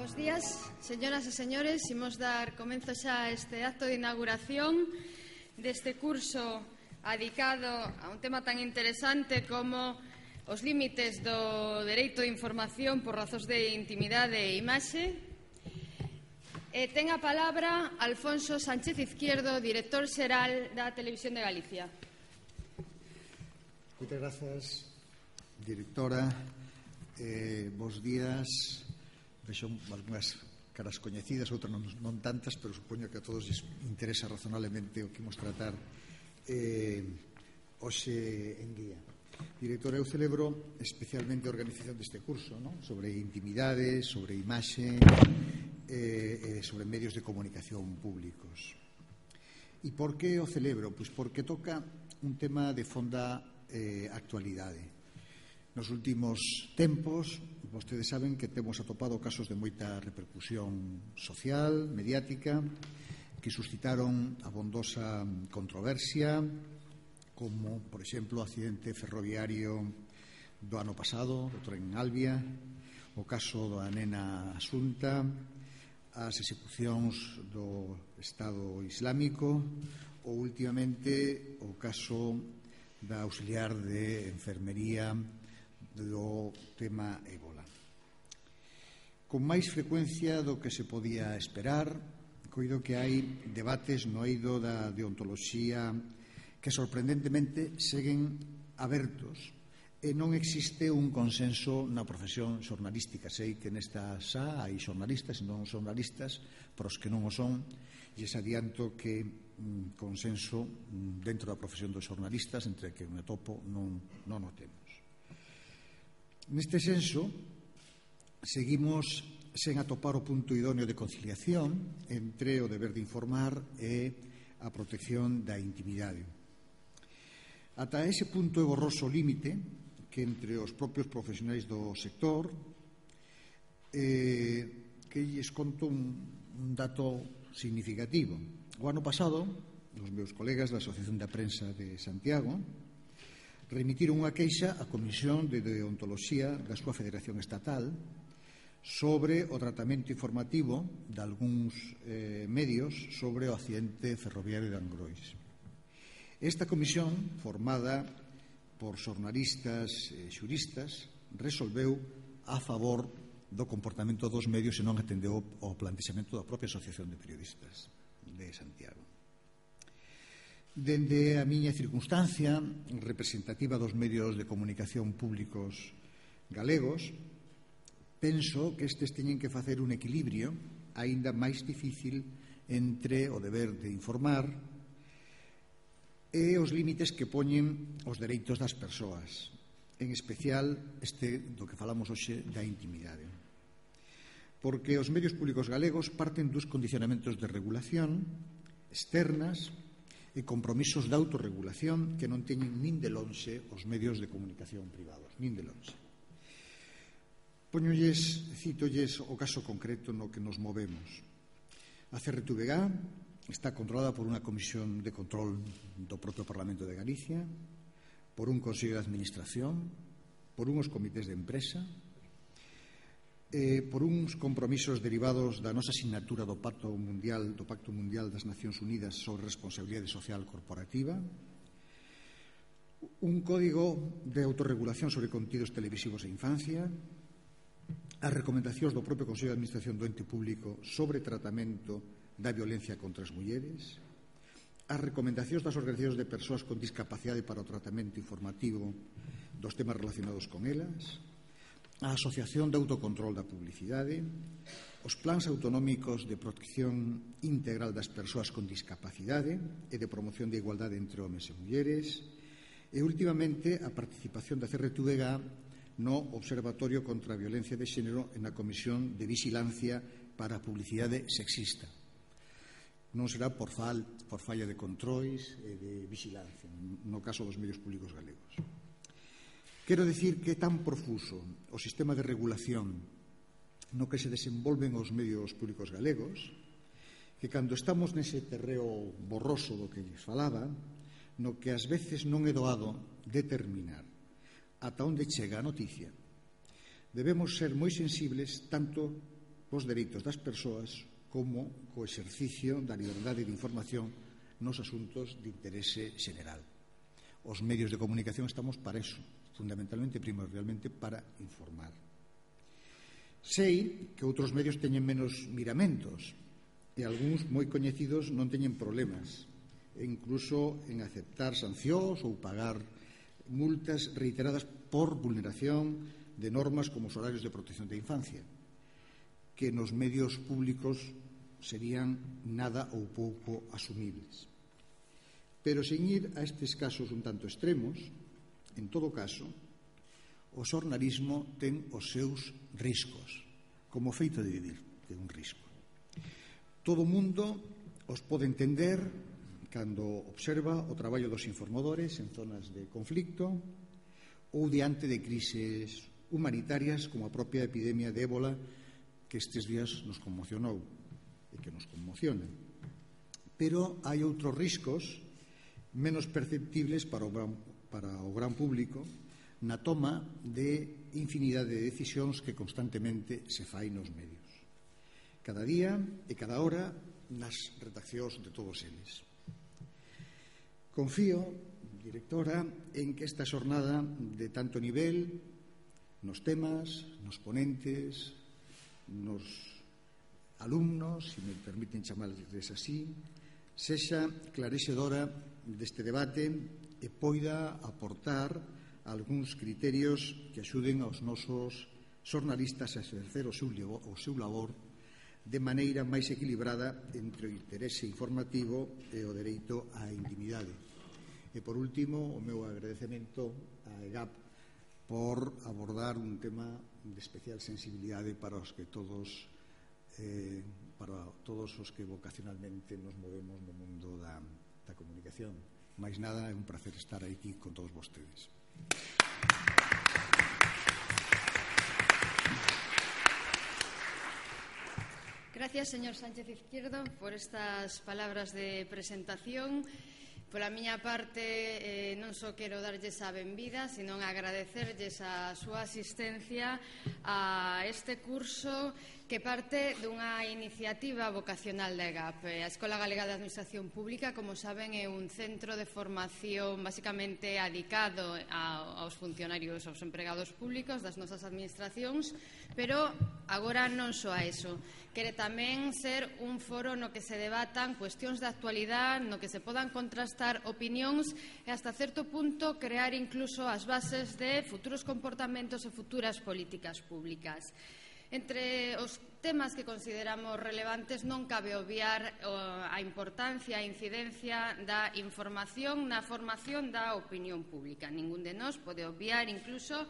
Bos días, señoras e señores. Imos dar comenzo xa a este acto de inauguración deste curso adicado a un tema tan interesante como os límites do dereito de información por razóns de intimidade e imaxe. Ten a palabra Alfonso Sánchez Izquierdo, director xeral da Televisión de Galicia. Moitas grazas, directora. Bos días. Vexo algunhas caras coñecidas, outras non tantas, pero supoño que a todos lles interesa razonablemente o que imos tratar hoxe en día. Directora, eu celebro especialmente a organización deste curso, non? Sobre intimidade, sobre imaxe, sobre medios de comunicación públicos. E por que o celebro? Pois porque toca un tema de fonda actualidade. Nos últimos tempos, vostedes saben que temos atopado casos de moita repercusión social, mediática, que suscitaron abondosa controversia, como, por exemplo, o accidente ferroviario do ano pasado, do tren Albia, o caso da nena Asunta, as execucións do Estado Islámico ou, últimamente, o caso da auxiliar de enfermería do tema ébola. Con máis frecuencia do que se podía esperar, coido que hai debates no eido da deontoloxía que sorprendentemente seguen abertos e non existe un consenso na profesión xornalística. Sei que nesta xa hai xornalistas e non xornalistas, pero os que non o son, e se adianto que consenso dentro da profesión dos xornalistas, entre que me topo, non o temos. Neste senso, seguimos sen atopar o punto idóneo de conciliación entre o deber de informar e a protección da intimidade. Ata ese punto é borroso límite que entre os propios profesionais do sector que lles conto un dato significativo. O ano pasado, os meus colegas da Asociación da Prensa de Santiago remitiron unha queixa á Comisión de Deontoloxía da súa Federación Estatal sobre o tratamento informativo de algúns medios sobre o accidente ferroviario de Angrois. Esta comisión, formada por xornalistas e xuristas, resolveu a favor do comportamento dos medios e non atendeu ao plantexamento da propia Asociación de Periodistas de Santiago. Dende a miña circunstancia representativa dos medios de comunicación públicos galegos, penso que estes teñen que facer un equilibrio aínda máis difícil entre o deber de informar e os límites que poñen os dereitos das persoas, en especial este do que falamos hoxe da intimidade. Porque os medios públicos galegos parten dos condicionamentos de regulación externas e compromisos de autorregulación que non teñen nin de lonxe os medios de comunicación privados, nin de lonxe. Cítolles o caso concreto no que nos movemos. A CRTVG está controlada por unha comisión de control do propio Parlamento de Galicia, por un Consello de Administración, por unhos comités de empresa, por uns compromisos derivados da nosa asignatura do Pacto Mundial das Nacións Unidas sobre Responsabilidade Social Corporativa, un código de autorregulación sobre contidos televisivos e infancia, as recomendacións do propio Consello de Administración do ente público sobre tratamento da violencia contra as mulleres, as recomendacións das organizacións de persoas con discapacidade para o tratamento informativo dos temas relacionados con elas, a Asociación de Autocontrol da Publicidade, os plans autonómicos de protección integral das persoas con discapacidade e de promoción de igualdade entre homes e mulleres, e, últimamente, a participación da CRTVG no Observatorio contra a Violencia de Xénero e na Comisión de Vigilancia para a Publicidade Sexista. Non será por falla de controis e de vigilancia, no caso dos medios públicos galegos. Quero dicir que é tan profuso o sistema de regulación no que se desenvolven os medios públicos galegos que cando estamos nese terreo borroso do que lles falaba, no que ás veces non é doado determinar ata onde chega a noticia, debemos ser moi sensibles tanto os dereitos das persoas como co exercicio da liberdade de información nos asuntos de interese xeneral. Os medios de comunicación estamos para eso, fundamentalmente, primordialmente, para informar. Sei que outros medios teñen menos miramentos e algúns moi coñecidos non teñen problemas, e incluso en aceptar sancións ou pagar multas reiteradas por vulneración de normas como os horarios de protección da infancia, que nos medios públicos serían nada ou pouco asumibles. Pero sen ir a estes casos un tanto extremos, en todo caso, o xornalismo ten os seus riscos, como feito de vivir, ten un risco. Todo o mundo os pode entender cando observa o traballo dos informadores en zonas de conflicto ou diante de crises humanitarias como a propia epidemia de ébola que estes días nos conmocionou e que nos conmociona. Pero hai outros riscos menos perceptibles para o gran público na toma de infinidade de decisións que constantemente se fai nos medios. Cada día e cada hora nas redaccións de todos eles. Confío, directora, en que esta xornada de tanto nivel nos temas, nos ponentes, nos alumnos, se me permiten chamarles así, sexa clarexedora deste debate e poida aportar algúns criterios que axuden aos nosos xornalistas a exercer o seu labor de maneira máis equilibrada entre o interese informativo e o dereito á intimidade. E, por último, o meu agradecemento a EGAP por abordar un tema de especial sensibilidade para os que todos os que vocacionalmente nos movemos no mundo da comunicación. Mais nada, é un placer estar aquí con todos vostedes. Gracias, señor Sánchez Izquierdo, por estas palabras de presentación. Pola miña parte, non só quero darlles a benvida, sino agradecerlles a súa asistencia a este curso que parte dunha iniciativa vocacional da EGAP. A Escola Galega de Administración Pública, como saben, é un centro de formación basicamente adicado aos funcionarios, aos empregados públicos das nosas administracións, pero agora non só a eso. Quere tamén ser un foro no que se debatan cuestións de actualidade, no que se podan contrastar opinións e hasta certo punto crear incluso as bases de futuros comportamentos e futuras políticas públicas. Entre os temas que consideramos relevantes non cabe obviar a importancia e incidencia da información na formación da opinión pública. Ningún de nós pode obviar incluso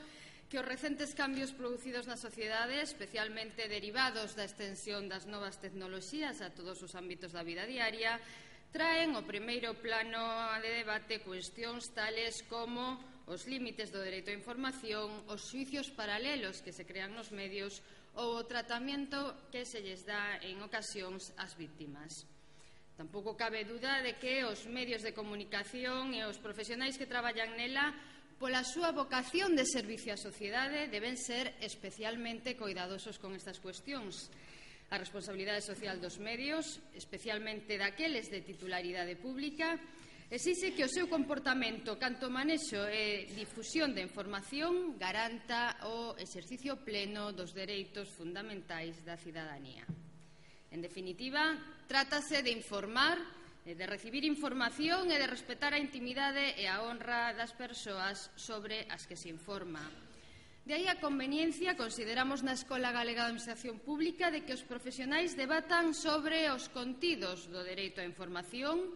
que os recentes cambios producidos na sociedade, especialmente derivados da extensión das novas tecnoloxías a todos os ámbitos da vida diaria, traen ao primeiro plano de debate cuestións tales como os límites do dereito á información, os xuicios paralelos que se crean nos medios ou o tratamento que se lles dá en ocasións ás víctimas. Tampouco cabe duda de que os medios de comunicación e os profesionais que traballan nela, pola súa vocación de servicio á sociedade, deben ser especialmente coidadosos con estas cuestións. A responsabilidade social dos medios, especialmente daqueles de titularidade pública, exixe que o seu comportamento canto manexo e difusión de información garanta o exercicio pleno dos dereitos fundamentais da cidadanía. En definitiva, trátase de informar, de recibir información e de respetar a intimidade e a honra das persoas sobre as que se informa. De aí a conveniencia, consideramos na Escola Galega de Administración Pública, de que os profesionais debatan sobre os contidos do dereito á información,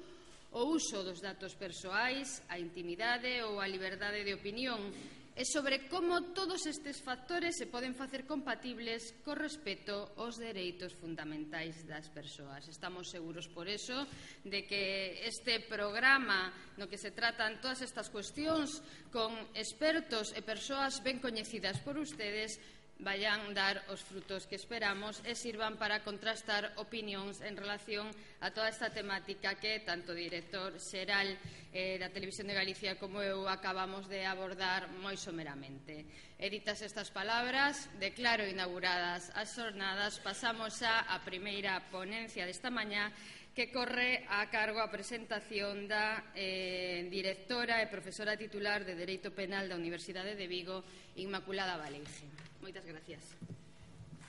o uso dos datos persoais, a intimidade ou a liberdade de opinión, e sobre como todos estes factores se poden facer compatibles co respeto aos dereitos fundamentais das persoas. Estamos seguros, por eso, de que este programa no que se tratan todas estas cuestións con expertos e persoas ben coñecidas por ustedes vayan dar os frutos que esperamos e sirvan para contrastar opinións en relación a toda esta temática que tanto o director xeral da Televisión de Galicia como eu acabamos de abordar moi someramente. E ditas estas palabras, declaro inauguradas as xornadas. Pasamos xa á primeira ponencia desta mañá, que corre a cargo a presentación da directora e profesora titular de Dereito Penal da Universidade de Vigo, Inmaculada Valeice. Moitas gracias.